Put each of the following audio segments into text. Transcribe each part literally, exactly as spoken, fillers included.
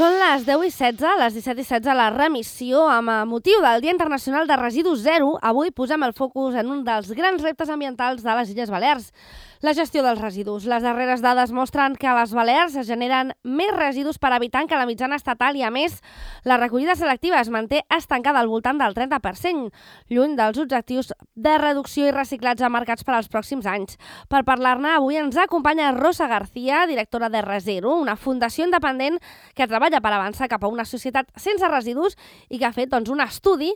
Són les deu i setze, les disset i setze, la remissió. Amb motiu del Dia Internacional de Residus Zero, avui posem el focus en un dels grans reptes ambientals de les Illes Balears, la gestió dels residus. Les darreres dades mostren que a les Balears es generen més residus per habitant que la mitjana estatal i, a més, la recollida selectiva es manté estancada al voltant del trenta per cent, lluny dels objectius de reducció i reciclatge marcats per als pròxims anys. Per parlar-ne, avui ens acompanya Rosa García, directora de Rezero, una fundació independent que treballa per avançar cap a una societat sense residus i que ha fet doncs, un estudi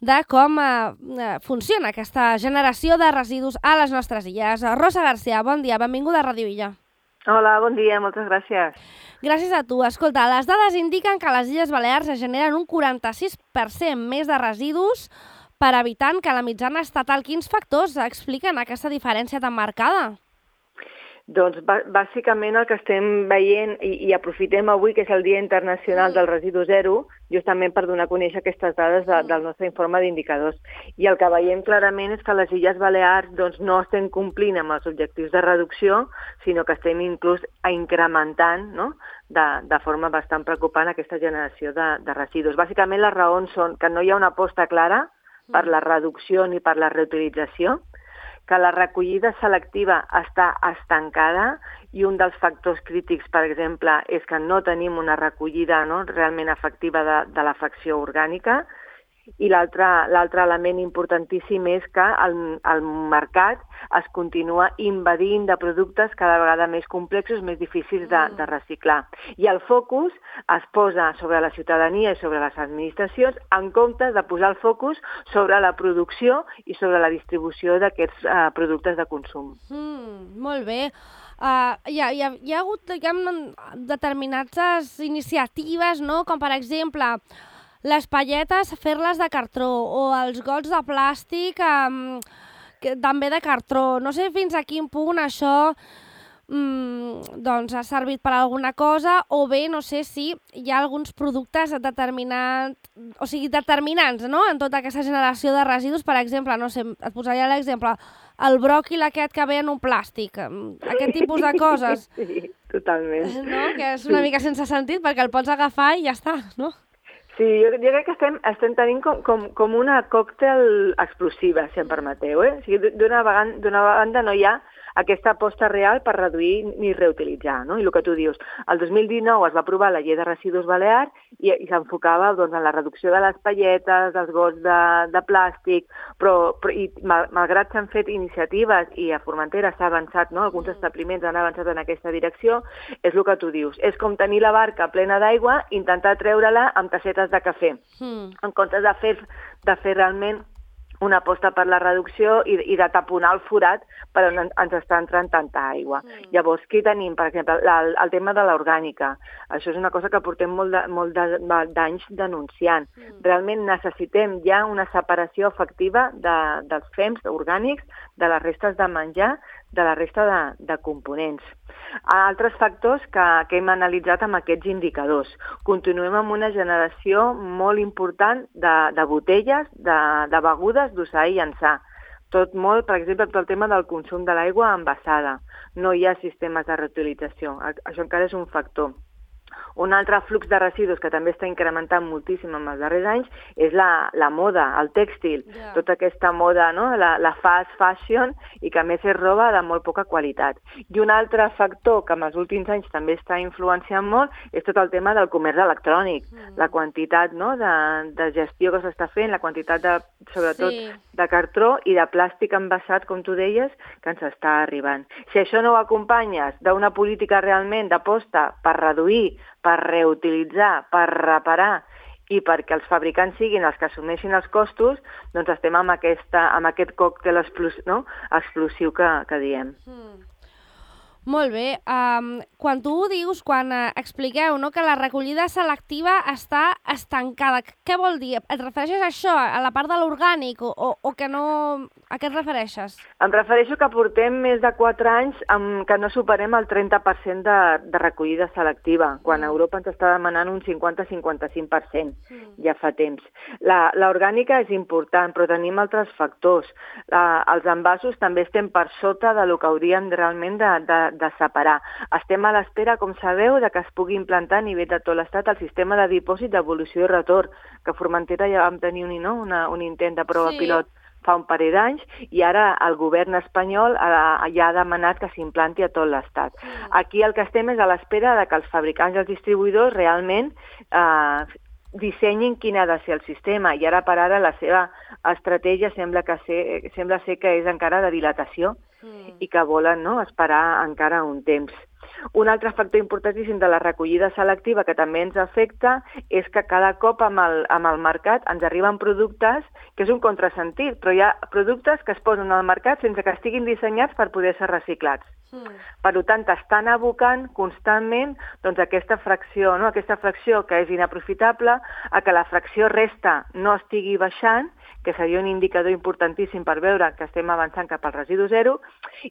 de com eh, funciona aquesta generació de residus a les nostres illes. Rosa García, bon dia, benvinguda a Ràdio Illa. Hola, bon dia, moltes gràcies. Gràcies a tu. Escolta, les dades indiquen que a les Illes Balears es generen un quaranta-sis per cent més de residus per habitant que la mitjana estatal. Quins factors expliquen aquesta diferència tan marcada? Doncs bàsicament el que estem veient i, i aprofitem avui, que és el Dia Internacional del Residu Zero, justament per donar a conèixer aquestes dades de, del nostre informe d'indicadors. I el que veiem clarament és que les Illes Balears doncs, no estem complint amb els objectius de reducció, sinó que estem inclús incrementant, no?, de, de forma bastant preocupant aquesta generació de, de residus. Bàsicament les raons són que no hi ha una aposta clara per la reducció ni per la reutilització, que la recollida selectiva està estancada i un dels factors crítics, per exemple, és que no tenim una recollida no, realment efectiva de, de la fracció orgànica, i l'altre l'altre element importantíssim és que el, el mercat es continua invadint de productes cada vegada més complexos, més difícils de, de reciclar. I el focus es posa sobre la ciutadania i sobre les administracions en comptes de posar el focus sobre la producció i sobre la distribució d'aquests uh, productes de consum. Mm, molt bé. Uh, hi, ha, hi, ha, hi ha hagut diguem, determinades iniciatives, no? Com per exemple les palletes, fer-les de cartró, o els gots de plàstic um, que, també de cartró. No sé fins a quin punt això um, doncs, ha servit per alguna cosa, o bé no sé si hi ha alguns productes determinats, o sigui, determinants, no?, en tota aquesta generació de residus. Per exemple, no sé, et posaria l'exemple, el bròquil aquest que ve en un plàstic, aquest tipus de coses. Sí, totalment. No? Que és una mica sense sentit, perquè el pots agafar i ja està, no? Sí, jo, jo crec que estem, estem tenint com, com, com una còctel explosiva, si em permeteu. Eh? O sigui, d'una banda no hi ha aquesta aposta real per reduir ni reutilitzar, no? I el que tu dius, el dos mil dinou es va aprovar la llei de residus balear i, i s'enfocava doncs, en la reducció de les palletes, dels gots de, de plàstic, però, però i, mal, malgrat s'han fet iniciatives i a Formentera s'ha avançat, no? Alguns establiments han avançat en aquesta direcció, és el que tu dius. És com tenir la barca plena d'aigua, intentar treure-la amb tassetes de cafè, mm. en comptes de fer, de fer realment una aposta per la reducció i, i de taponar el forat per on ens està entrant tanta aigua. Mm. Llavors, què tenim? Per exemple, la, el tema de l'orgànica. Això és una cosa que portem molt de, molt de, d'anys denunciant. Mm. Realment necessitem ja una separació efectiva de, dels fems orgànics, de les restes de menjar, de la resta de, de components. Altres factors que, que hem analitzat amb aquests indicadors. Continuem amb una generació molt important de, de botelles, de, de begudes, d'usar i llançar. Tot molt, per exemple, tot el tema del consum de l'aigua envasada. No hi ha sistemes de reutilització. Això encara és un factor. Un altre flux de residus que també està incrementant moltíssim en els darrers anys és la, la moda, el tèxtil, yeah. Tota aquesta moda, no? la, la fast fashion, i que a més és roba de molt poca qualitat. I un altre factor que en els últims anys també està influenciant molt és tot el tema del comerç electrònic, mm. la quantitat no? de, de gestió que s'està fent, la quantitat de, sobretot sí. de cartró i de plàstic envasat, com tu deies, que ens està arribant. Si això no ho acompanyes d'una política realment d'aposta per reduir, per reutilitzar, per reparar i perquè els fabricants siguin els que assumeixin els costos, doncs estem amb, aquesta, amb aquest còctel explosiu, no? explosiu que, que diem. Mm. Molt bé. Um, quan tu ho dius, quan uh, expliqueu no, que la recollida selectiva està estancada, què vol dir? Et refereixes a això, a la part de l'orgànic, o, o, o que no... A què et refereixes? Em refereixo que portem més de quatre anys amb que no superem el trenta per cent de, de recollida selectiva, quan a Europa ens està demanant un cinquanta a cinquanta-cinc per cent, mm. ja fa temps. L'orgànica és important, però tenim altres factors. La, els envasos també estem per sota de lo que hauríem realment de, de, de separar. Estem a l'espera, com sabeu, de que es pugui implantar a nivell de tot l'Estat el sistema de dipòsit d'evolució i retorn, que a Formentera ja vam tenir un, no? Una, un intent de prova Sí. pilot fa un parell d'anys, i ara el govern espanyol ha, ja ha demanat que s'implanti a tot l'Estat. Mm. Aquí el que estem és a l'espera de que els fabricants i els distribuïdors realment eh, dissenyin quin ha de ser el sistema, i ara per ara la seva estratègia sembla, que ser, sembla ser que és encara de dilatació Mm. i que volen, no?, esperar encara un temps. Un altre factor importantíssim de la recollida selectiva que també ens afecta és que cada cop amb el, amb el mercat ens arriben productes, que és un contrasentit, però hi ha productes que es posen al mercat sense que estiguin dissenyats per poder ser reciclats. Mm. Per tant, estan abocant constantment doncs, aquesta fracció, no? aquesta fracció que és inaprofitable, a que la fracció resta no estigui baixant, que seria un indicador importantíssim per veure que estem avançant cap al residu zero,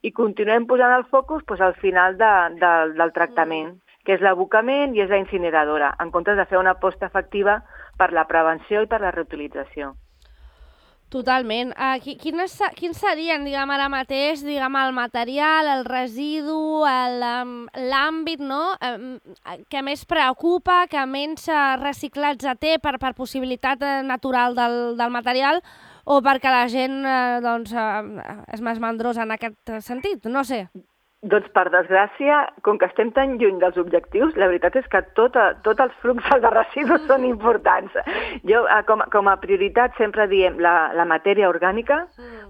i continuem posant el focus doncs, al final de, de, del tractament, mm. que és l'abocament i és la incineradora, en comptes de fer una aposta efectiva per la prevenció i per la reutilització. Totalment. Uh, quins, quins serien, diguem, ara mateix, diguem, el material, el residu, l'àmbit, no?, um, que més preocupa, que menys reciclatge té per, per possibilitat natural del, del material, o perquè la gent uh, doncs, uh, és més mandrosa en aquest sentit? No sé. Doncs, per desgràcia, com que estem tan lluny dels objectius, la veritat és que tot, tot els fluxos de residus són importants. Jo, com, com a prioritat, sempre diem la, la matèria orgànica,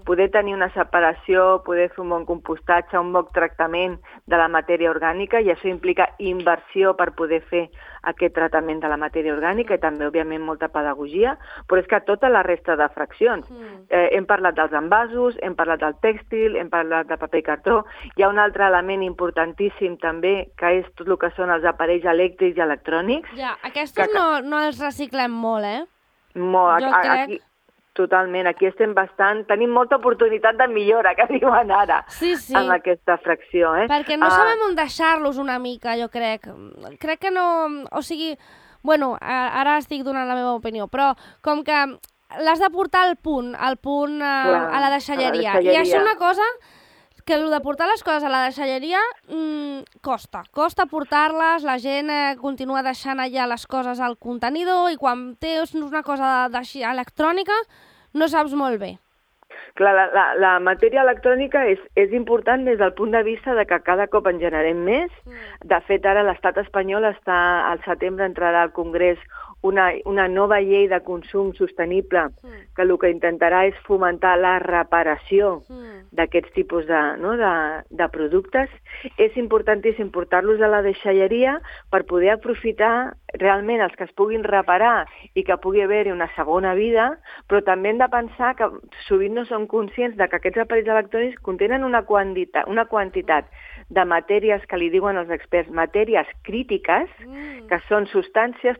poder tenir una separació, poder fer un bon compostatge, un bon tractament de la matèria orgànica, i això implica inversió per poder fer aquest tractament de la matèria orgànica i també, òbviament, molta pedagogia, però és que tota la resta de fraccions. Eh, hem parlat dels envasos, hem parlat del tèxtil, hem parlat de paper i cartró. Hi ha un altre element importantíssim també, que és tot el que són els aparells elèctrics i electrònics. Ja, aquests que... no, no els reciclem molt, eh? Molt, jo crec... Aquí, totalment, aquí estem bastant... Tenim molta oportunitat de millora, que diuen ara, sí, sí. amb aquesta fracció. Eh? Perquè no uh... sabem on deixar-los una mica, jo crec. Crec que no... O sigui, bueno, ara estic donant la meva opinió, però com que l'has de portar al punt, al punt uh, Clar, a la deixalleria. I això és una cosa que el de portar les coses a la deixalleria mmm, costa. Costa portar-les, la gent eh, continua deixant allà les coses al contenidor i quan tens una cosa de, de, electrònica no saps molt bé. Clar, la, la, la matèria electrònica és, és important des del punt de vista de que cada cop en generem més. De fet, ara l'estat espanyol està al setembre entrarà al Congrés una, una nova llei de consum sostenible que el que intentarà és fomentar la reparació d'aquests tipus de, no, de, de productes. És importantíssim portar-los a la deixalleria per poder aprofitar realment els que es puguin reparar i que pugui haver-hi una segona vida, però també hem de pensar que sovint no som conscients de que aquests aparells electrònics contenen una quantitat, una quantitat de matèries que li diuen els experts, matèries crítiques, que són substàncies,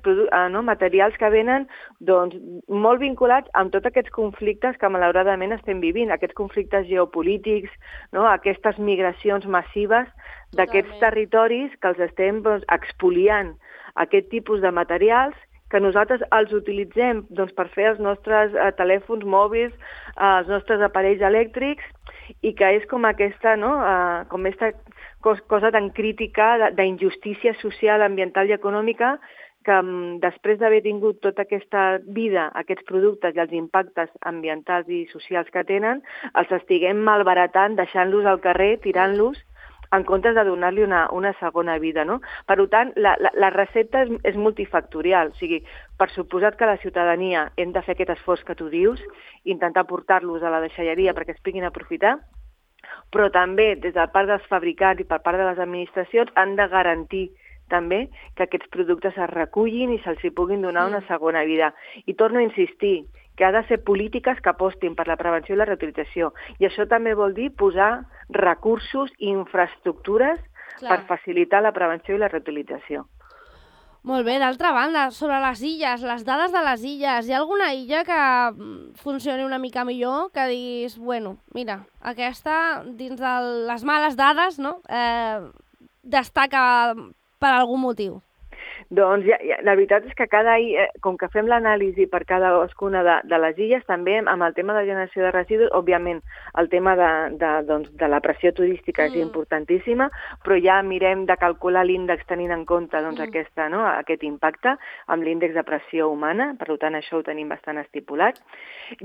no, materials que venen doncs, molt vinculats amb tots aquests conflictes que malauradament estem vivint, aquests conflictes geopolítics, no, aquestes migracions massives d'aquests territoris que els estem doncs, expoliant aquest tipus de materials que nosaltres els utilitzem doncs, per fer els nostres eh, telèfons mòbils, eh, els nostres aparells elèctrics, i que és com aquesta, no, eh, com aquesta cosa tan crítica d'injustícia social, ambiental i econòmica que després d'haver tingut tota aquesta vida, aquests productes i els impactes ambientals i socials que tenen, els estiguem malbaratant, deixant-los al carrer, tirant-los, en comptes de donar-li una, una segona vida. No? Per tant, la, la, la recepta és, és multifactorial. O sigui, per suposat que la ciutadania hem de fer aquest esforç que tu dius, intentar portar-los a la deixalleria perquè es puguin aprofitar, però també des del part dels fabricants i per part de les administracions han de garantir també que aquests productes es recullin i se'ls hi puguin donar una segona vida. I torno a insistir que ha de ser polítiques que apostin per la prevenció i la reutilització. I això també vol dir posar recursos i infraestructures Clar. Per facilitar la prevenció i la reutilització. Molt bé, d'altra banda, sobre les illes, les dades de les illes, hi ha alguna illa que funcioni una mica millor, que diguis, bueno, mira, aquesta, dins de les males dades, no?, eh, destaca per algun motiu? Doncs ja, ja, la veritat és que cada, eh, com que fem l'anàlisi per cadascuna de, de les illes, també amb el tema de generació de residus, òbviament el tema de, de, doncs, de la pressió turística mm. és importantíssima, però ja mirem de calcular l'índex tenint en compte doncs, mm. aquesta, no, aquest impacte amb l'índex de pressió humana, per tant això ho tenim bastant estipulat.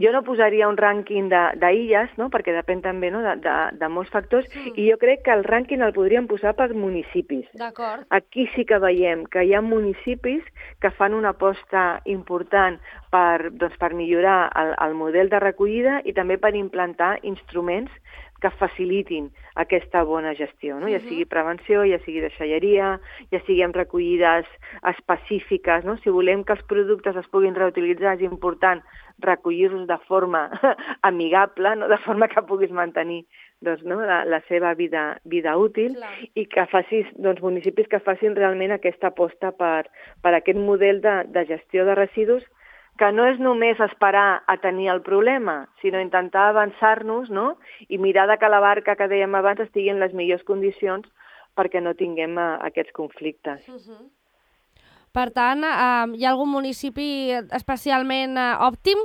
Jo no posaria un rànquing d'illes, no, perquè depèn també no, de, de, de molts factors, mm. i jo crec que el rànquing el podríem posar per municipis. D'acord. Aquí sí que veiem que hi ha municipis que fan una aposta important per, doncs, per millorar el, el model de recollida i també per implantar instruments que facilitin aquesta bona gestió, no? Ja sigui prevenció, ja sigui deixalleria, ja sigui amb recollides específiques, no? Si volem que els productes es puguin reutilitzar, és important recollir-los de forma amigable, no? De forma que puguis mantenir doncs, no? la, la seva vida, vida útil. Clar. I que facis, doncs, municipis que facin realment aquesta aposta per, per aquest model de, de gestió de residus, que no és només esperar a tenir el problema, sinó intentar avançar-nos, no? I mirar de que la barca que dèiem abans estigui en les millors condicions perquè no tinguem uh, aquests conflictes. Uh-huh. Per tant, uh, hi ha algun municipi especialment uh, òptim?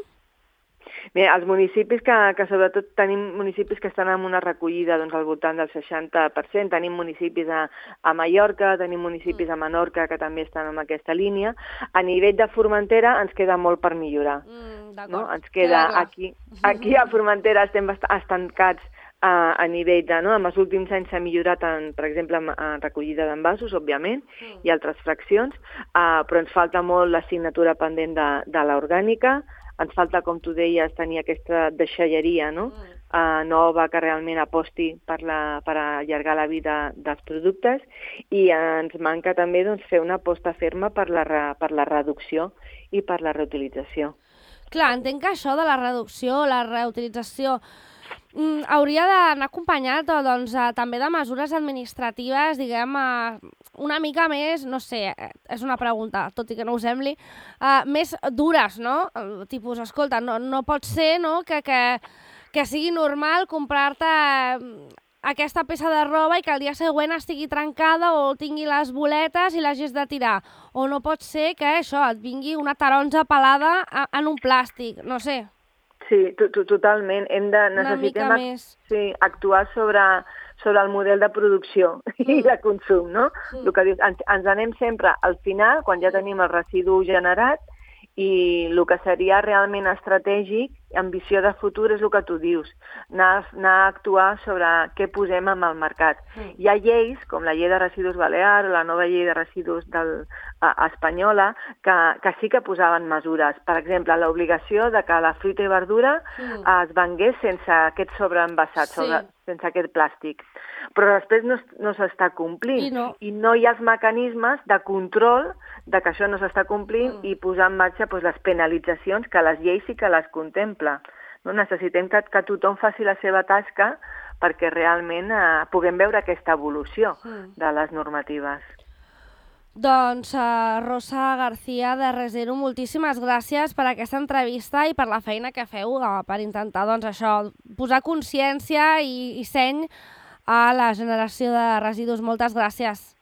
Bé, els municipis que, que sobretot tenim municipis que estan en una recollida doncs, al voltant del seixanta per cent, tenim municipis a, a Mallorca, tenim municipis a Menorca que també estan en aquesta línia. A nivell de Formentera ens queda molt per millorar. Mm, no? Ens queda aquí, aquí a Formentera estem estancats a, a nivell de, no? En els últims anys s'ha millorat, en, per exemple, en, en recollida d'envasos, òbviament, mm. i altres fraccions, uh, però ens falta molt l'assignatura pendent de, de l'orgànica. Ens falta, com tu deies, tenir aquesta deixalleria, no? Mm. Uh, nova que realment aposti per, la, per allargar la vida dels productes, i ens manca també doncs, fer una aposta ferma per la, re, per la reducció i per la reutilització. Clar, entenc que això de la reducció, la reutilització, mm, hauria d'anar acompanyat doncs, uh, també de mesures administratives, diguem, uh, una mica més, no sé, és una pregunta, tot i que no ho sembli, uh, més dures, no? Uh, tipus, escolta, no, no pot ser, no?, que, que, que sigui normal comprar-te uh, aquesta peça de roba i que el dia següent estigui trencada o tingui les boletes i l'hagis de tirar. O no pot ser que això et vingui una taronja pelada en un plàstic, no sé. Sí, totalment. Hem de, necessitem ac sí, actuar sobre, sobre el model de producció mm. i de consum, no? Mm. El que dius, ens, ens anem sempre al final, quan ja tenim el residu generat, i el que seria realment estratègic, ambició de futur, és el que tu dius, anar, anar a actuar sobre què posem en el mercat. Mm. Hi ha lleis, com la llei de residus balear o la nova llei de residus del, a, espanyola, que, que sí que posaven mesures. Per exemple, l'obligació de que la fruita i verdura mm. es vengués sense aquest sobreenvasat, sí. sobre, sense aquest plàstic. Però després no, no s'està complint. I no. I no hi ha els mecanismes de control de que això no s'està complint mm. i posar en marxa doncs, les penalitzacions que les lleis sí que les contempla. No? Necessitem que, que tothom faci la seva tasca perquè realment eh, puguem veure aquesta evolució mm. de les normatives. Doncs, uh, Rosa García de Resero, moltíssimes gràcies per aquesta entrevista i per la feina que feu uh, per intentar doncs, això, posar consciència i, i seny a la generació de residus. Moltes gràcies.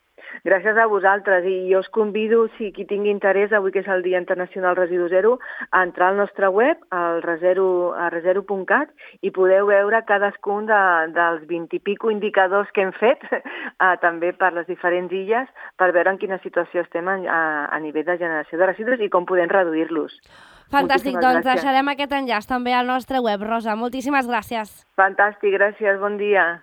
Gràcies a vosaltres, i jo us convido, si qui tingui interès, avui que és el Dia Internacional Residu Zero, a entrar al nostre web, al resero punt cat, i podeu veure cadascun de, dels vint i pico indicadors que hem fet, eh, també per les diferents illes, per veure en quina situació estem a, a, a nivell de generació de residus i com podem reduir-los. Fantàstic, moltíssimes doncs gràcies. Deixarem aquest enllaç també al nostre web, Rosa. Moltíssimes gràcies. Fantàstic, gràcies, bon dia.